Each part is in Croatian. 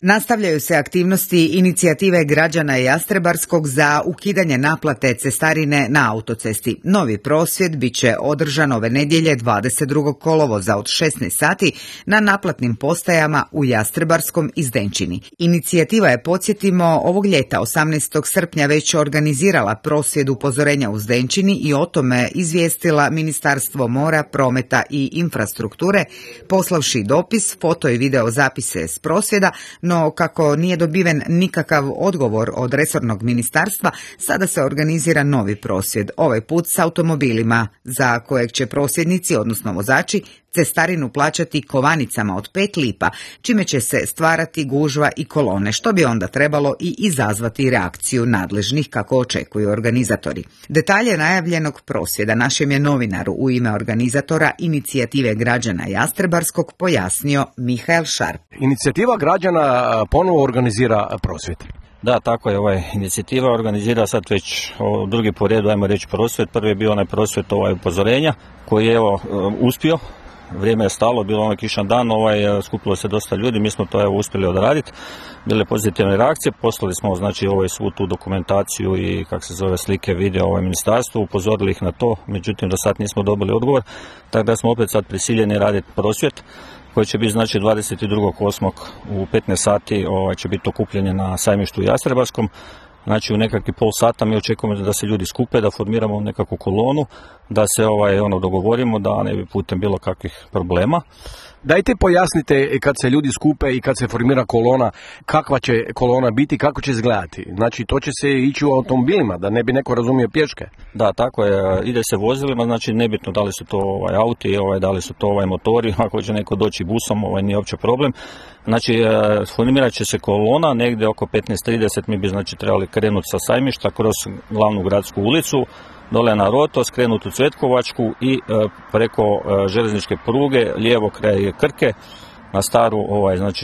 Nastavljaju se aktivnosti inicijative građana Jastrebarskog za ukidanje naplate cestarine na autocesti. Novi prosvjed bit će održan ove nedjelje 22. kolovoza od 16 sati na naplatnim postajama u Jastrebarskom i Zdenčini. Inicijativa je, podsjetimo, ovog ljeta 18. srpnja već organizirala prosvjed upozorenja u Zdenčini i o tome izvijestila Ministarstvo mora, prometa i infrastrukture, poslavši dopis, foto i video zapise s prosvjeda, no kako nije dobiven nikakav odgovor od resornog ministarstva, sada se organizira novi prosvjed, ovaj put s automobilima, za kojeg će prosvjednici, odnosno vozači, cestarinu plaćati kovanicama od 5 lipa, čime će se stvarati gužva i kolone, što bi onda trebalo i izazvati reakciju nadležnih, kako očekuju organizatori. Detalje najavljenog prosvjeda našem je novinaru u ime organizatora inicijative građana Jastrebarskog pojasnio Mihael Šarp. Inicijativa građana ponovo organizira prosvjed. Da, tako je, inicijativa organizira sad već drugi po redu, ajmo reći, prosvjed. Prvi je bio onaj prosvjed upozorenja koji je uspio. Vrijeme je stalo, bilo onaj kišan dan, skupilo se dosta ljudi, mi smo to uspjeli odraditi, bile pozitivne reakcije, poslali smo svu tu dokumentaciju i slike, video ministarstvu, upozorili ih na to, međutim do sad nismo dobili odgovor, tako da smo opet sad prisiljeni raditi prosvjed koji će biti 22.8. u 15 sati će biti okupljenje na sajmištu u Jastrebarskom. Znači u nekakvih pol sata mi očekujemo da se ljudi skupe, da formiramo nekakvu kolonu, da se dogovorimo, da ne bi putem bilo kakvih problema. Dajte pojasnite kad se ljudi skupe i kad se formira kolona, kakva će kolona biti, kako će izgledati. Znači to će se ići u automobilima, da ne bi neko razumio pješke. Da, tako je, ide se vozilima, znači nebitno da li su to auti, da li su to motori, ako će neko doći busom, nije uopće problem. Znači formirat će se kolona, negdje oko 15:30 mi bi trebali krenuti sa sajmišta kroz glavnu gradsku ulicu, dole na Roto, skrenuti u Cvetkovačku i preko željezničke pruge, lijevo kraj Krke, na staru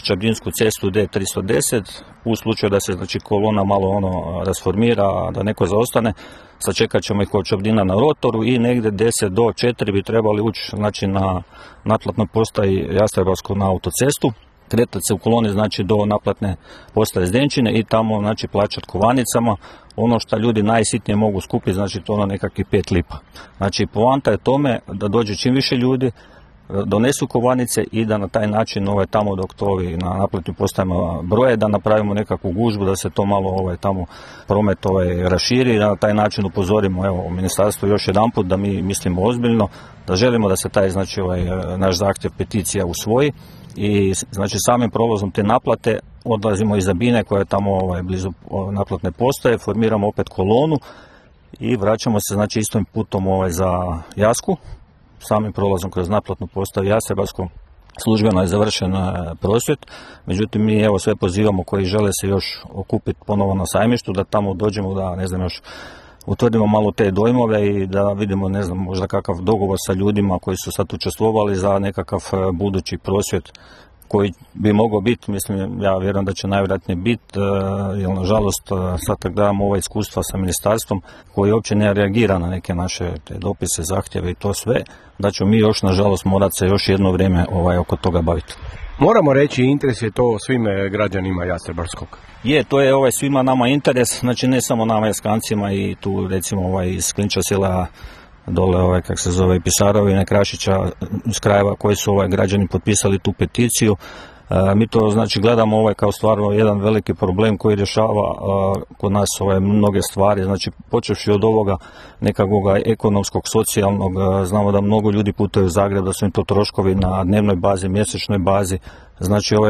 Čabrinsku cestu D310. U slučaju da se kolona malo rasformira, da neko zaostane, sačekat ćemo ih od Čabrina na Rotoru i negdje 10 do 4 bi trebali ući na naplatnoj postaji Jastrebarsko na autocestu. Kretati se u koloni do naplatne postaje Zdenčine i tamo plaćati kovanicama. Ono što ljudi najsitnije mogu skupiti, to nekakvih 5 lipa. Znači poanta je tome da dođe čim više ljudi, donesu kovanice i da na taj način tamo dok to na naplatnim postajama broje, da napravimo nekakvu gužbu, da se to malo tamo promet raširi i da na taj način upozorimo ministarstvo još jedanput da mi mislimo ozbiljno, da želimo da se taj naš zahtjev, peticija usvoji. I samim prolazom te naplate odlazimo iz Zabine koja je tamo blizu naplatne postaje, formiramo opet kolonu i vraćamo se istom putom za Jasku. Samim prolazom kroz naplatnu postaju Jastrebarsko službeno je završen prosvjed, međutim mi sve pozivamo koji žele se još okupiti ponovo na sajmištu, da tamo dođemo, da još utvrdimo malo te dojmove i da vidimo, možda kakav dogovor sa ljudima koji su sad učestvovali za nekakav budući prosvjed koji bi mogao biti, ja vjerujem da će najvjerojatnije biti, jer nažalost sad kad gledamo ova iskustva sa ministarstvom koji uopće ne reagira na neke naše te dopise, zahtjeve i to sve, da ćemo mi još nažalost morati se još jedno vrijeme oko toga baviti. Moramo reći, interes je to svim građanima Jastrebarskog. To je svima nama interes, ne samo nama Jaskancima i tu recimo iz Klinča sela dole Pisarovine, Krašića, iz krajeva koji su građani potpisali tu peticiju. Mi to gledamo kao stvarno jedan veliki problem koji rješava kod nas mnoge stvari, počevši od ovoga nekakvog ekonomskog, socijalnog, znamo da mnogo ljudi putuju u Zagreb, da su im to troškovi na dnevnoj bazi, mjesečnoj bazi,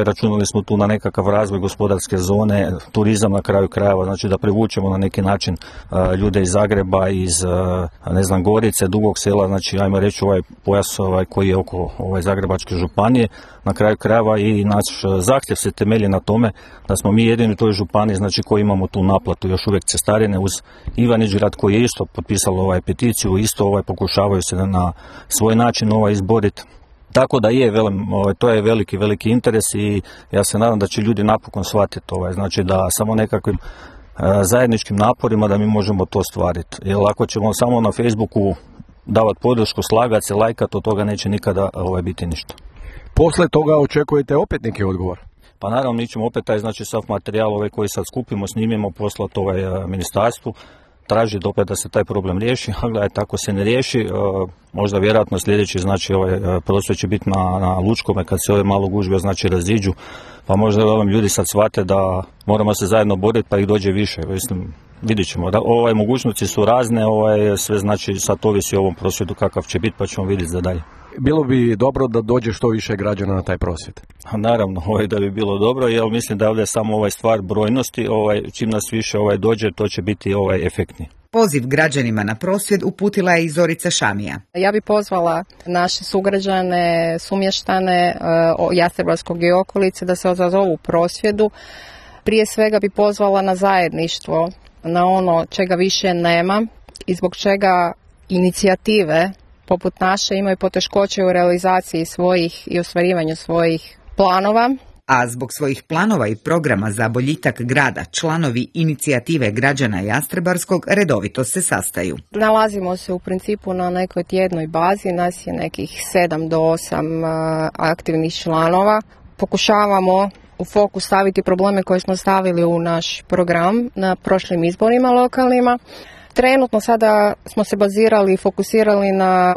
računali smo tu na nekakav razvoj gospodarske zone, turizam na kraju krajeva, da privučemo na neki način ljude iz Zagreba, iz Gorice, Dugog Sela, ajmo reći pojas koji je oko Zagrebačke županije, na kraju krajeva i naš zahtjev se temelji na tome da smo mi jedini u toj županiji koji imamo tu naplatu još uvijek cestarine uz Ivanić-grad koji je isto potpisalo peticiju, isto pokušavaju se na svoj način izboriti. Tako da to je veliki interes i ja se nadam da će ljudi napokon shvatiti da samo nekakvim zajedničkim naporima da mi možemo to ostvariti. Jer ako ćemo samo na Facebooku davati podršku, slagati se, lajkati, od toga neće nikada biti ništa. Posle toga očekujete opet neki odgovor? Pa naravno mi ćemo opet taj znači sav materijal koji sad skupimo, snimimo, poslati ministarstvu, tražiti opet da se taj problem riješi, a gledajte, ako se ne riješi, možda vjerojatno sljedeći znači prosvjed će biti na Lučkome kad se ove malo gužbe znači raziđu, pa možda ljudi sad shvate da moramo se zajedno boriti pa ih dođe više. Mislim, vidjet ćemo. Mogućnosti su razne, sve znači sad ovisi o ovom prosvjedu kakav će biti, pa ćemo vidjeti za dalje. Bilo bi dobro da dođe što više građana na taj prosvjed. Naravno, da bi bilo dobro, jer mislim da je ovdje samo stvar brojnosti, čim nas više dođe, to će biti efektni. Poziv građanima na prosvjed uputila je i Zorica Šamija. Ja bi pozvala naše sugrađane, sumještane Jastrebarskog i okolice da se odazovu prosvjedu. Prije svega bi pozvala na zajedništvo, na ono čega više nema i zbog čega inicijative poput naše imaju poteškoće u realizaciji svojih i ostvarivanju svojih planova. A zbog svojih planova i programa za boljitak grada, članovi inicijative građana Jastrebarskog redovito se sastaju. Nalazimo se u principu na nekoj tjednoj bazi, nas je nekih 7 do 8 aktivnih članova. Pokušavamo u fokus staviti probleme koje smo stavili u naš program na prošlim izborima lokalnima. Trenutno sada smo se bazirali i fokusirali na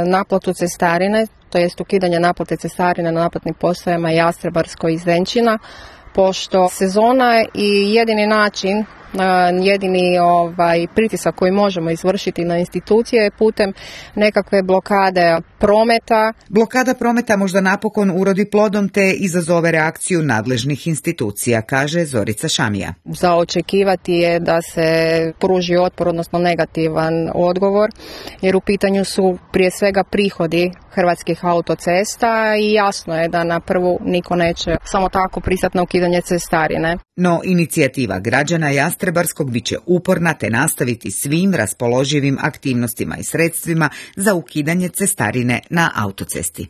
naplatu cestarine, to jest ukidanje naplate cestarine na naplatnim postajama Jastrebarsko i Zdenčina, pošto sezona i jedini način, jedini pritisak koji možemo izvršiti na institucije je putem nekakve blokade prometa. Blokada prometa možda napokon urodi plodom te izazove reakciju nadležnih institucija, kaže Zorica Šamija. Za očekivati je da se pruži otpor, odnosno negativan odgovor, jer u pitanju su prije svega prihodi Hrvatskih autocesta i jasno je da na prvu niko neće samo tako pristati na ukidanje cestarine. No inicijativa građana Jastrebarskog bit će uporna te nastaviti svim raspoloživim aktivnostima i sredstvima za ukidanje cestarine na autocesti.